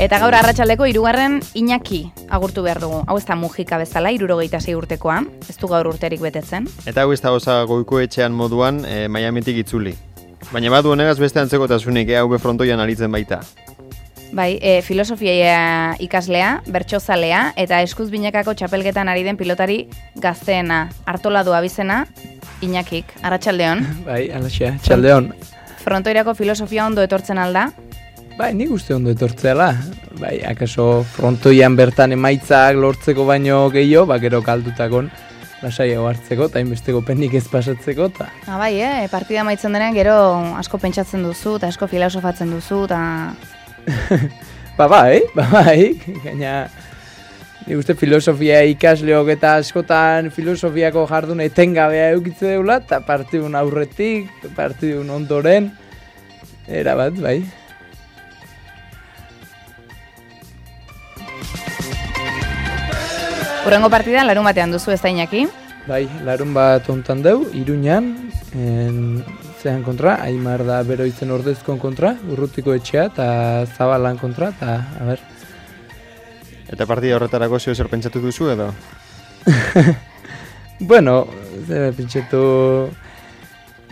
Eta gaur arratsaldeko 3. Iñaki agurtu behar dugu. Hau ez da Mujika bezala, 76 urtekoa, ez du gaur urterik betetzen. Eta hau ez da osa Goikoetxean moduan Miamitik itzuli. Baina badu honegaz beste antzekotasunik hau frontoian aritzen baita. Bai, filosofia ikaslea, bertsozalea eta eskuz binekako txapelketan ari den pilotari gazteena, Artoladu abizena, Iñakik, arratsaldeon. Bai, alaxea, txaldeon. Frontoirako filosofia ondo etortzen alda? Bai, nik uste ondo etortzeala. Bai, akaso frontoian bertan emaitzak lortzeko baino gehiago, gero kaldutakon lasaiago hartzeko, eta inbesteko penik ez pasatzeko, eta... Bai, partida maitzen denean gero asko pentsatzen duzu, eta asko filosofatzen duzu, eta... bai, gaina... Nik uste filosofia ikasleok eta askotan filosofiako jardun etengabea eukitze deula, eta partidun aurretik, partidun ondoren, erabat, bai. Hurrengo partida larun batean duzu ez da Iñaki? Bai, larun bat ontan deu, Iruñan, zean kontra, Aimar da Beroitzen Ordezkon kontra, Urrutiko Etxea eta Zabalan kontra, eta, a ber. Eta partida horretarako zer pentsatu duzu edo? Bueno, pentsatu...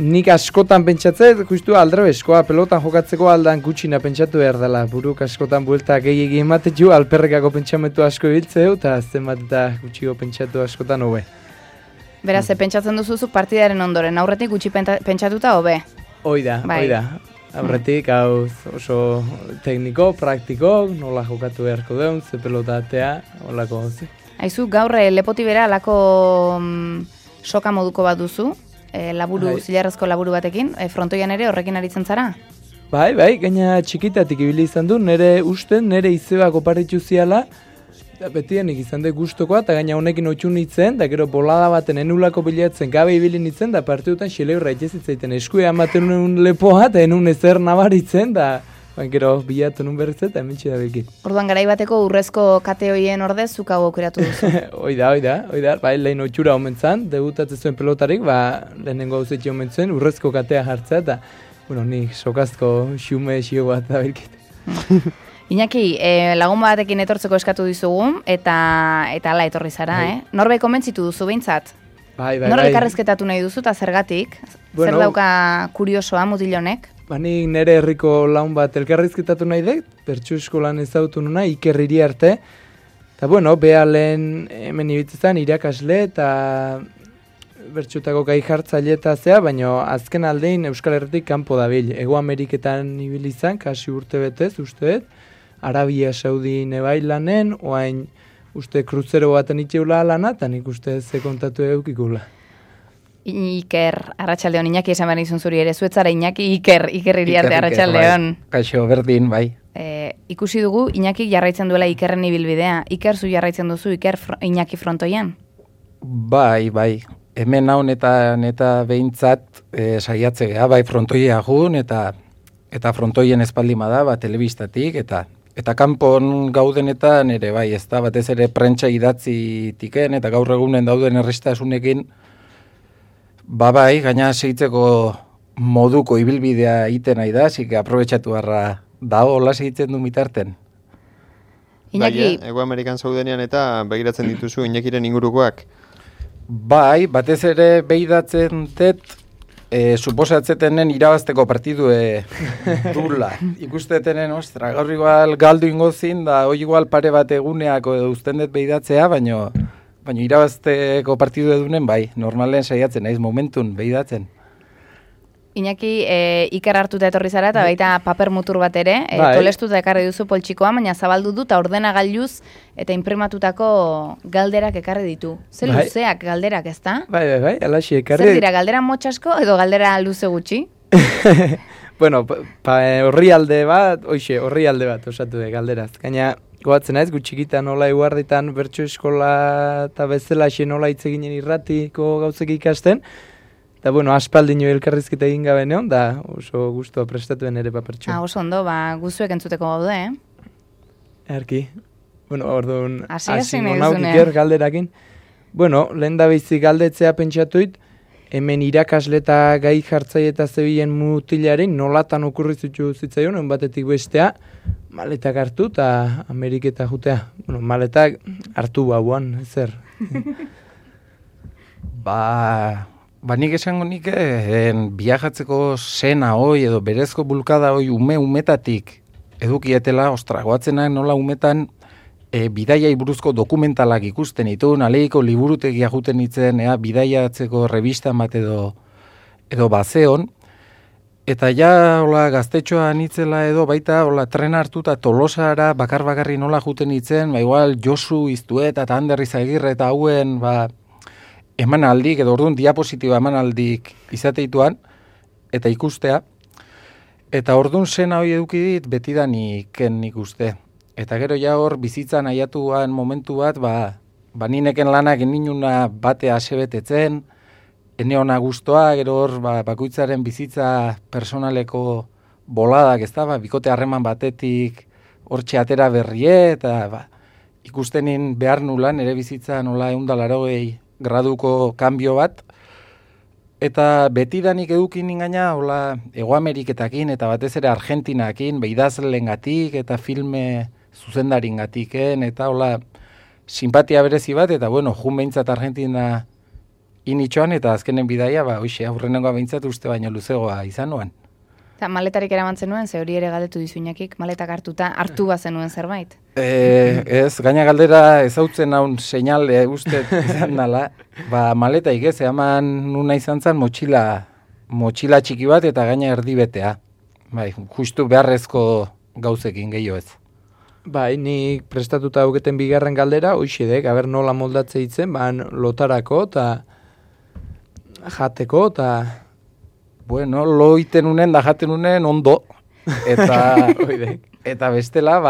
Nik askotan pentsatzet, justu aldrebeskoa, pelotan jokatzeko aldan gutxina pentsatu behar dela. Buruk askotan buelta gehiagi ematetxu, alperrekako pentsamentu asko ibiltzeu, eta azten bat eta gutxiko pentsatu askotan hobe. Beraz, pentsatzen duzuzuk partidaren ondoren, aurretik gutxi pentsatuta hobe? Oida. Aurretik, hau oso tekniko, praktiko, nola jokatu beharko deun, ze pelotatea, holako gauzi. Aizu, gaur lepoti bera alako soka moduko bat duzu? Zilarrezko laburu batekin, frontoian ere horrekin aritzen zara? Bai, gaina txikitatik ibili izan du, nire izebak oparitzu ziala, eta betienik izan dut gustokoa, eta gaina honekin otxun nintzen, da gero bolada baten enulako bilatzen gabe ibili nintzen, da partidutan xeleurra itxezitzaiten eskuea amaten nuen lepoa, eta enun ezer nabaritzen, da gero bilatu nun berriz eta hementsi da bilki. Orduan garai bateko urrezko kate hoien ordez zuk hau aukeratu duzu? Oida, bai, lehen otxura omentzan, debutatzen zuen pelotarik, lehenengo hauzetxe omentzuen, urrezko katea jartzea, eta, nik sokazko xume xio bat da bilkit. Iñaki, lagun batekin etortzeko eskatu dizugu, eta ala etorri zara, Norbait komentzitu duzu behintzat? Bai. Norbait elkarrezketatu nahi duzu, eta zergatik? Zer dauka kuriosoa mutilonek? Nik nire herriko laun bat elkarrizketatu nahi dut, bertsu eskolan ezautu nuna, Iker Iriarte. Eta beha lehen hemen ibitzezan irakasle eta bertxutako gai jartzaile eta zea, baina azken aldein Euskal Herritik kanpo dabil. Ego Ameriketan ibili izan, kasi urte betez, uste dut, Arabia Saudi nebai lanen, oain uste kruzero baten itxeula lana, eta nik uste ze kontatu eukikula. Iker, arratsaldeon, Iñaki esan behar izun zuri ere, zuetzara Iñaki, Iker Iriarte, arratsaldeon. Kaixo, berdin, bai. Ikusi dugu, Iñaki jarraitzen duela Ikerren ibilbidea. Iker, zu jarraitzen duzu, Iñaki frontoian? Bai. Hemen haun eta behintzat saiatzea, bai frontoia jun, eta frontoien espaldima da, telebistatik, eta kanpon gaudenetan ere, bai, ez da, batez ere prentsa idatzi tiken, eta gaur egunen dauden errestasunekin, bai, gaina segitzeko moduko ibilbidea iten nahi da, zik aprobetxatu harra dago, hola segitzen du mitarten. Iñaki... Ego Amerikan zaudenean eta begiratzen dituzu Iñakiren ingurukoak? Bai, batez ere behidatzen dut, suposatzetenen irabazteko partidue dula. Ikusteetenen, ostra, gaur igual galdu ingozin, da hoi igual pare bat eguneako uzten dut behidatzea, baina irabazteko partidu edunen, bai, normalen saiatzen, naiz momentun behidatzen. Iñaki, Iker hartuta etorri zara, eta baita paper mutur bat ere, tolestuta ekarri duzu poltsikoa, baina zabaldu du, eta ordenagailuz eta imprimatutako galderak ekarri ditu. Zer luzeak galderak, ez da? Bai, alaxi ekarri. Zer dira, galdera motxasko edo galdera luze gutxi? Horri alde bat osatu de galderaz. Gaina, goatzen naiz, gutxikita nola eguarditan bertso eskola eta bezala nola hitz eginen irratiko gauzek ikasten. Eta, aspaldino elkarrizketa egin gabe neon, da oso guztua prestatuen ere papertxo. Oso ondo, guzuek entzuteko gaude, Erki. Orduan, hasi monauk Iker galderakin. Lehen da bizi galdetzea pentsatuit, hemen irakasle eta gai jartzaile eta zebilen mutilaren nolatan okurrizutu zitzaion, batetik bestea, maletak hartu eta Ameriketa jutea. Bueno, maletak hartu bauan, zer. Nik esango nik biajatzeko sena hoi edo berezko bulkada hoi umetatik edukietela, goatzenak nola umetan bidaiai buruzko dokumentalak ikusten ditu, aleiko liburutegia juten nitzen, bidaiatzeko revista bat edo bazeon, eta ja gaztetxoa nitzela edo baita tren hartuta Tolosara bakar-bakarri nola juten nitzen, igual Josu Iztueta eta Ander Izagirre eta hauen emanaldik, edo orduan diapositiba emanaldik izateituan, eta ikustea, eta orduan sena hori eduki dit betidanik ikuste. Eta gero ja hor bizitzan aiatuan momentu bat, nineken lanak eninuna batea asebetetzen, eneona guztoa, gero hor bakoitzaren bizitza personaleko boladak, ez da, bikote harreman batetik hortxe atera berrie, eta ikustenin behar nulan, ere bizitza nola 180 graduko kanbio bat, eta betidanik edukin ingaina, Hego Ameriketakin, eta batez ere Argentinakin, idazlengatik eta filme zuzendaringatiken, eta simpatia berezi bat, eta jun behintzat Argentina initxoan, eta azkenen bidaia, aurrenengoa behintzat uste baino luzegoa izan nuen. Eta maletarik eramantzen nuen, ze hori ere galdetu dizuinakik, maletak hartu bazen nuen zerbait? Ez, gaina galdera ezautzen naun seinale uste izan dela, maletaik ez, eman nuna izan zen motxila txiki bat eta gaina erdibetea. Justu beharrezko gauzekin gehiago ez. Nik prestatuta auketen bigarren galdera, hoxedek, aber nola moldatze hitzen, lotarako eta jateko eta... Bueno, lo iten unen da jaten unen ondo, eta bestela,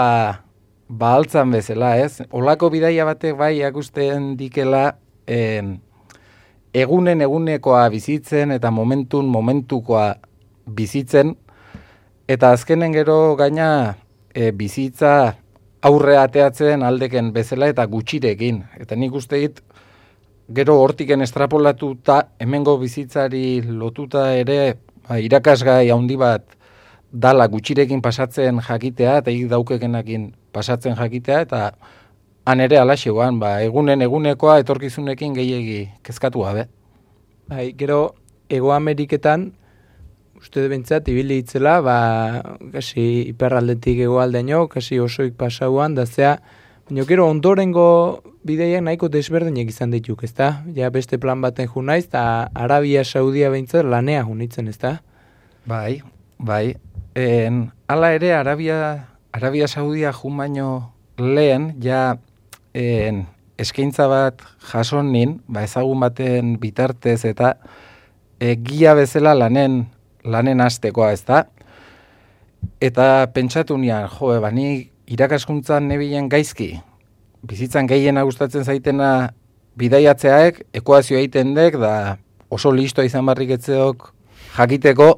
altzan bezala, ez? Olako bidaia batek akusten dikela egunekoa bizitzen eta momentukoa bizitzen, eta azkenen gero gaina bizitza aurre ateatzen aldeken bezala eta gutxirekin. Eta nik uste dit, gero hortiken estrapolatuta, hemengo bizitzari lotuta ere irakasgai handi bat dala gutxirekin pasatzen jakitea, eta daukekenakin pasatzen jakitea, eta han ere alaxegoan, egunekoa etorkizunekin gehiegi kezkatu gabe. Gero, Hego Ameriketan, uste bentsat, ibili hitzela, kasi hiperraldetik hegoaldeaino, kasi osoik pasauan, da zea, baina gero ondorengo bideiak nahiko desberdinak izan dituk, ezta? Ja beste plan baten ju naiz, eta Arabia Saudia behintzat lanea junitzen, ezta? Bai. Hala ere, Arabia Saudia jun baino lehen, ja eskaintza bat jason nin, ezagun baten bitartez, eta gia bezala lanen hastekoa, ezta? Eta pentsatu nian, ni irakaskuntzan nebilen gaizki, bizitzan gehiena gustatzen zaitena bidaiatzeaek, ekuazio egiten dek, da oso listoa izan barrik etzeok jakiteko,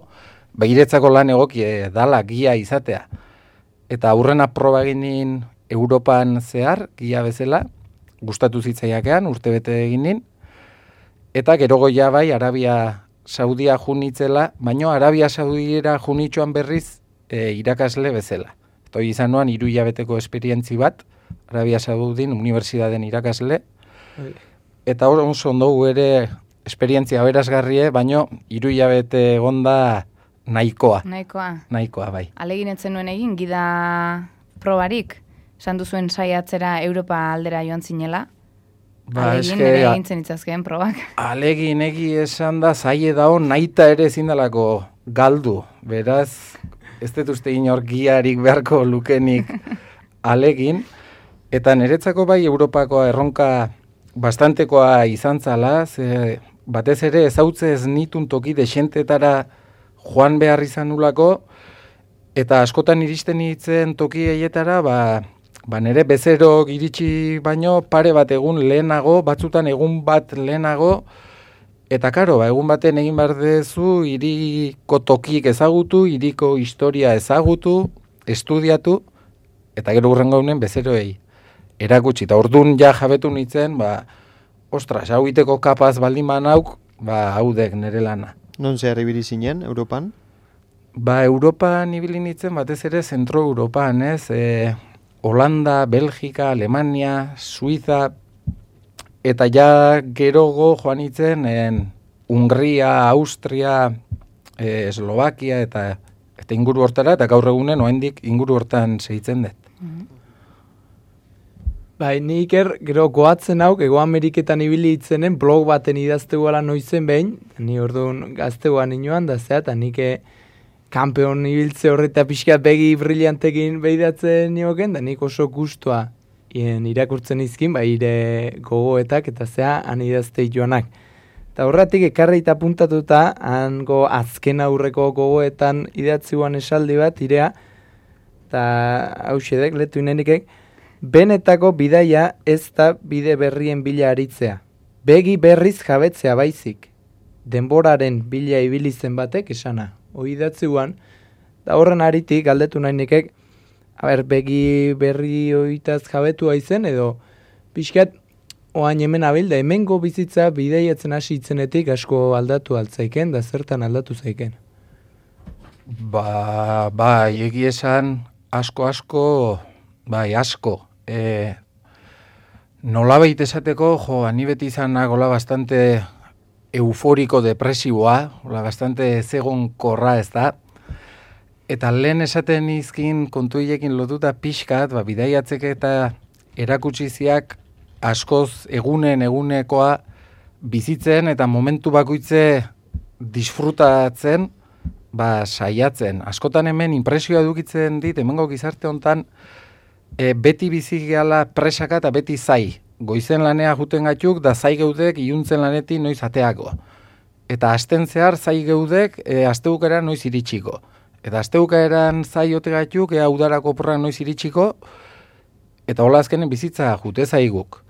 iretzako lan egokie dala gia izatea. Eta aurrena proba eginin Europan zehar, gia bezala, gustatu zitzaiakean, urtebete eginin, eta gero goia Arabia Saudia junitzela, baino Arabia Saudiera junitxoan berriz irakasle bezala. Toi izan noan 3 hilabeteko esperientzi bat, Arabia Saudin unibertsitateen irakasle, eta oso ondo ere esperientzia berazgarrie, baino 3 hilabete egonda nahikoa. Nahikoa, bai. Alegin etzen nuen egin, gida probarik, esan duzuen saiatzera Europa aldera joan zinela? Alegin ere egintzen itzazkeen probak. Alegin egi esan da, zaie dao, nahita ere zindalako galdu, beraz... Ez dut uste inor giarik beharko lukenik alegin, eta niretzako Europakoa erronka bastantekoa izan zala, batez ere ezautzez nitun toki desentetara joan behar izan nulako, eta askotan iristen itzen toki eietara, nire bezero iritsi baino pare bat egun lehenago, batzutan egun bat lehenago, eta karo, egun baten egin behar dezu, hiriko tokik ezagutu, hiriko historia ezagutu, estudiatu, eta gero hurrengo honen bezeroei erakutsi. Eta orduan ja jabetu nintzen, ostras, hau iteko kapaz baldin banauk, haudek nire lana. Non zehar ibili zinen, Europan? Europan ibili nintzen batez ere zentro Europan, ez? Holanda, Belgika, Alemania, Suiza, eta ja gerogo joan nintzen Hungria, Austria, Eslovakia eta inguru hortara, eta gaur egunen oraindik inguru hortan segitzen dut. Ni Iker, gero goatzen hauk, Ego Ameriketan ibili itzenen blog baten idazteguala noizen behin, ni orduan gazteguan inoan da zea, eta nik kampeon ibiltze horreta pixkat begi brillantekin behidatzen nioken, da nik oso gustua irakurtzen izkin, ire gogoetak eta zea han idazte joanak. Eta horretik ekarri eta puntatuta, hango azken aurreko gogoetan idatziuan esaldi bat, irea, eta hausedek, letu inenikek, benetako bidaia ez da bide berrien bila aritzea. Begi berriz jabetzea baizik. Denboraren bila ibilizen batek esana. Hoi datziuan, da horren aritik galdetu nahi nekek, begi berri hoitaz jabetu haizen edo pixkat oain hemen abil, da hemengo bizitza bideiatzen hasi itzenetik asko aldatu altzaiken, da zertan aldatu zaiken. Egi esan asko. Nolabait esateko, ani beti izan nagola bastante euforiko depresiboa, bastante zegonkorra ez da, eta lehen esaten izkin kontuiekin lotuta pixkat, bidaiatzek eta erakutsiziak askoz egunekoa bizitzen eta momentu bakoitze disfrutatzen, saiatzen. Askotan hemen impresioa edukitzen dit, hemengo gizarte hontan, beti bizi gehala presaka eta beti zai. Goizen lanea juten gatuk, da zai geudek iluntzen lanetik noiz ateako. Eta asten zehar zai geudek asteukera noiz iritsiko. Eta asteukeran zai ote gatuk, udarako porra noiz iritsiko, eta hola azkenen bizitza jute zaiguk.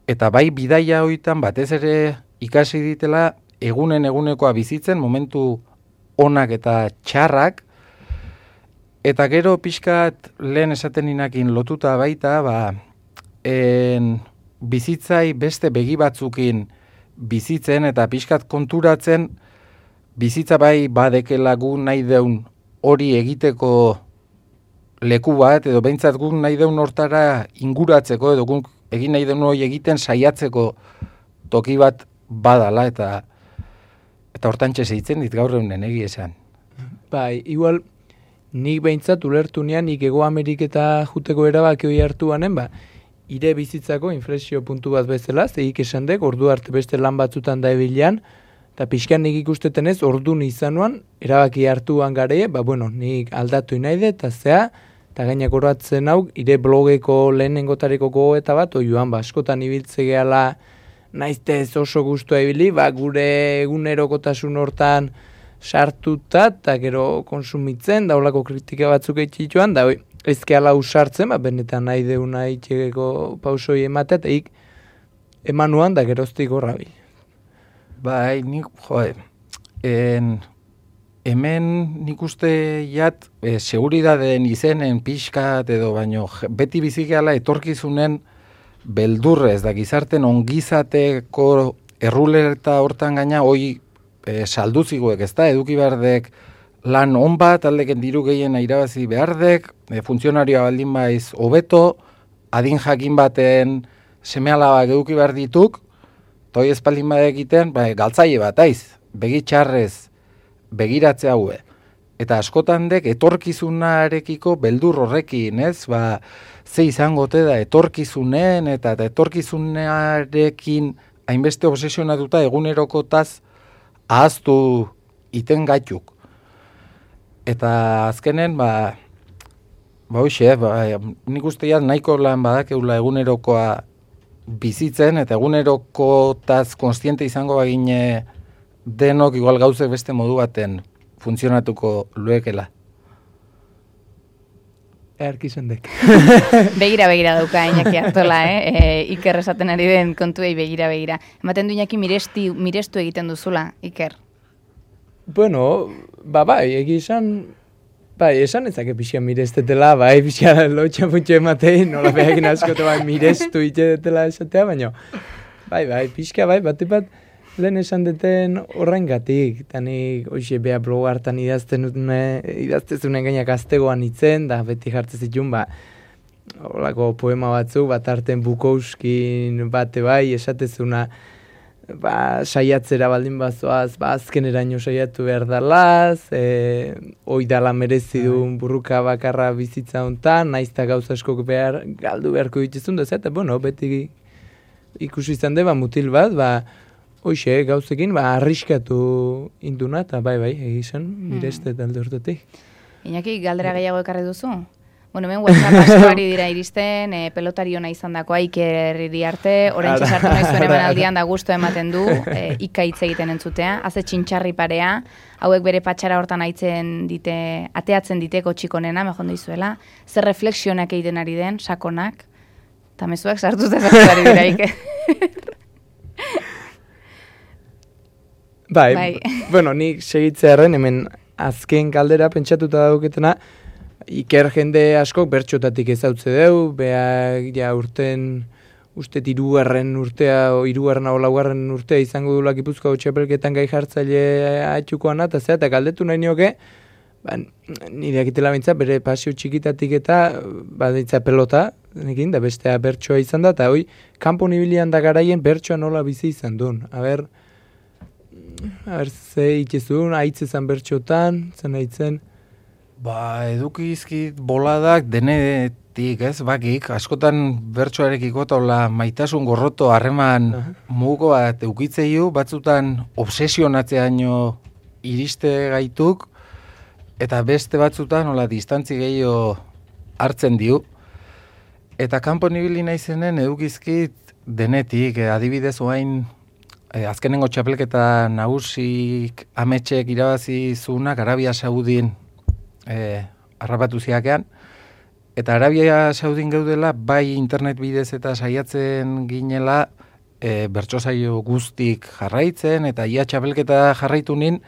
Eta bidaia hoitan batez ere ikasi ditela egunekoa bizitzen, momentu onak eta txarrak, eta gero pixkat lehen esaten inakin lotuta baita, bizitzai beste begi batzukin bizitzen eta pixkat konturatzen bizitza badekela gu nahi deun hori egiteko leku bat, edo behintzat gu nahi deun hortara inguratzeko, edo gu egin nahi deun hori egiten saiatzeko toki bat badala, eta hortan txezeitzen dit gaur egunen egi esan. Igual, nik behintzat ulertu nian, nik Ego Ameriketa juteko erabaki hori hartu banen, ire bizitzako inflexio puntu bat bezala, zeik esan dek, ordu arte beste lan batzutan da ebilean, eta pixkan nik ikusteten ez, ordu nizanuan, erabaki hartuan gare, nik aldatu inaide, eta zea, eta gainak horatzen hau, ire blogeko lehenengotareko gogoeta bat, oioan, askotan ibiltze gehala, naiztez oso gustua ibili, gure egunerokotasun hortan sartuta, eta gero konsumitzen, daulako kritika batzuk eitxituan, da ezkeala usartzen, benetan nahi deuna itxegeko pausoi ematea, eta emanuan da geroztik horrabil. Nik, hemen nik uste jat, seguridadeen izenen pixkat edo, baino beti bizikeala etorkizunen beldurrez, da gizarten ongizateko errulereta hortan gaina, hoi salduziguek, ez da, eduki berdek lan on bat, aldeken diru gehien irabazi behardek, funtzionarioa baldin baiz hobeto, adin jakin baten seme-alabak eduki behar dituk, toi espaldin bat egiten, galtzaile bat, begitxarrez begiratze haue. Eta askotan dek etorkizunarekiko beldur horrekin, ez? Ze izango te da etorkizunen eta etorkizunarekin hainbeste obsesionatuta egunerokotaz ahaztu iten gaituk. Eta azkenen, nik ustean nahiko lan badakeula egunerokoa bizitzen, eta egunerokotaz konstiente izango bagine denok igual gauzek beste modu baten funtzionatuko luekela. Erkizendek. Begira dauka Iñaki Artola, Iker esaten ari den kontuei begira. Ematen du Iñaki mirestu egiten duzula, Iker? Bueno, egi esan, esan ezake pixia mirestetela, pixia lotxa puntxo ematei, nola behakin askote mirestu itxedetela esatea, baina, pixka, bate bat, lehen esan deten horrengatik, eta nik hoxe beha blog hartan idaztezunen gainak aztegoan itzen, da beti jartzen zituen, holako poema batzu, bat arten Bukouskin bate bai, esatezuna, saiatzera baldin bazoaz, azkeneraino saiatu behar dalaz, oidala merezi duen burruka bakarra bizitza hontan, naizta gauza askok galdu beharko dituzun, eta beti ikusi izan deba mutil bat, hoxe, gauzekin, arriskatu induna, eta bai, egizan, nire ez dut alde urtetik. Iñaki, galdera gehiago ekarri duzu? Hemen WhatsApp askoari dira iristen, pelotari ona izan dakoa, Iker Iriarte, orain txasartu nahi zuen emanaldian da gusto ematen du, ika hitz egiten entzutea, haze txintxarri parea, hauek bere patxara hortan ateatzen diteko txikonena, mejón dizuela, zer reflexionak egiten ari den, sakonak, eta mezuak sartuz dezaktuari dira, Iker. Bueno, nik segitzearen, hemen azken kaldera pentsatuta dauketena, Iker jende askok bertxotatik ezautze deu, beha urten, ustet irugarren urtea, o irugarren hau laugarren urtea izango dula Gipuzkoako txapelketan gai jartzaile atxukoan eta galdetu nahi nioke, nire akitela bintza, bere pasio txikitatik eta baditza pelota, nekin, da bestea bertsoa izan da, eta hoi, kanpo nibilian da garaien bertsoa nola bizi izan duen. Aber, ze itxezun, aitzezan bertxotan, zen aitzen, edukizkit boladak denetik, bakik, askotan bertsoarekiko eta maitasun gorroto harreman mugo bat eukitzeiu, batzutan obsesionatzeaino iriste gaituk, eta beste batzutan distantzi gehiago hartzen diu. Eta kanpo nibili naizenen edukizkit denetik, adibidez oain, azkenengo txapelketa nagusik ametxek irabazi zunak Arabia Saudin harrapatu ziakean, eta Arabia Saudin geudela bai internet bidez eta saiatzen ginela bertsosaio guztik jarraitzen, eta ia txapelketa jarraitu nin,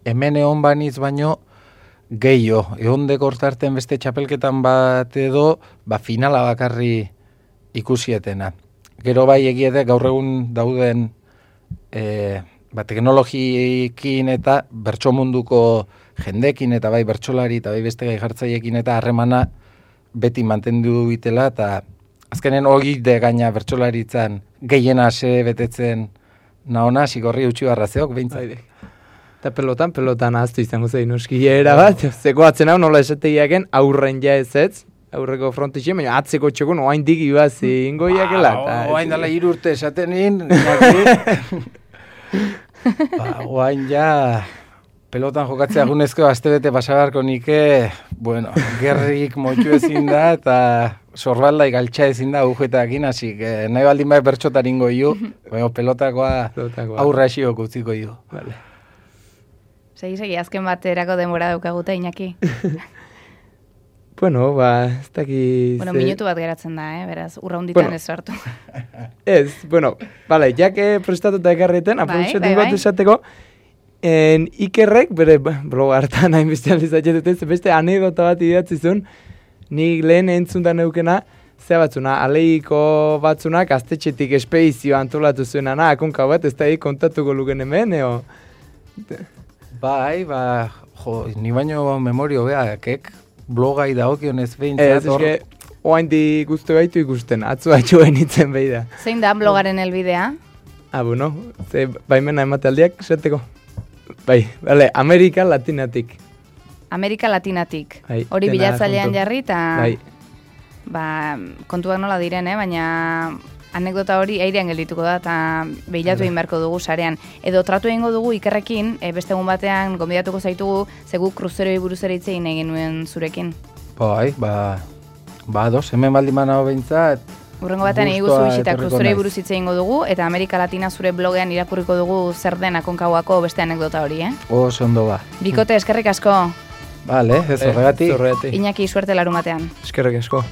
hemen egon baniz baino gehiago, ehondeko hortarten beste txapelketan bat edo, finala bakarri ikusietena. Gero bai egiete gaur egun dauden teknologikin eta bertso munduko jendekin eta bai bertsolari eta bai beste gai jartzaiekin eta harremana beti mantendu bitela, eta azkenen hori de gaina bertsolaritzan gehiena ase betetzen naona, sigorri utxi barrazeok, behintzat. Eta pelotan ahaztu izango zein uskiera bat, zeko atzen hau nola esategiaken aurren ja ez, aurreko frontixen, baina atzeko txekun oain digi bazi ingoiakela. Oain dala 3 urte esatenin, oain ja pelotan jokatzea gunezko astebete pasagarko nike, gerrik motxu ezin da, eta sorbaldai galtxa ezin da ugetakin, hasi, nahi baldin bai bertxotar ingo iu, pelotakoa aurra esiok utziko iu. Segi, azken baterako denbora daukaguta, Iñaki. Ez daki... minutu bat geratzen da, beraz, urra hunditan ez sartu. Ez, jake prestatuta ekarreten, aprobetxatik bat esateko, Ikerrek, bere blog hartan hain beste aldizatxetez, beste anedota bat idatzi zuen, nik lehen entzuntan neukena, zea batzuna, aleiko batzunak aztetxetik espedizio antolatu zuena, akonka bat, ez da kontatuko luken hemen, eo? Ni baino memorio beakek, blogai da okionez behintzat hor. Oain di guztu gaitu ikusten, atzu haitxuen itzen behi da. Zein da blogaren helbidea? Baimena ematealdiak, esateko. Amerika Latinatik. Amerika Latinatik. Hori bilatzailean jarri, eta kontuak nola diren, baina anekdota hori airean geldituko da, eta behilatu egin beharko dugu sarean. Edo tratu egingo dugu Ikerrekin, beste egun batean gonbidatuko zaitugu, zegu kruzeroi buruz ere hitz egin egin nuen zurekin. Ados, hemen baldiman hau behintzat. Urrengo batean eguzu bisita kruzeroi buruz hitz egingo dugu, eta Amerika Latina zure blogean irakurriko dugu zer den Aconcagua beste anekdota hori, Oso ondo ba. Bikote, eskerrik asko. Ez horregatik. Iñaki, suerte larumatean. Eskerrik asko.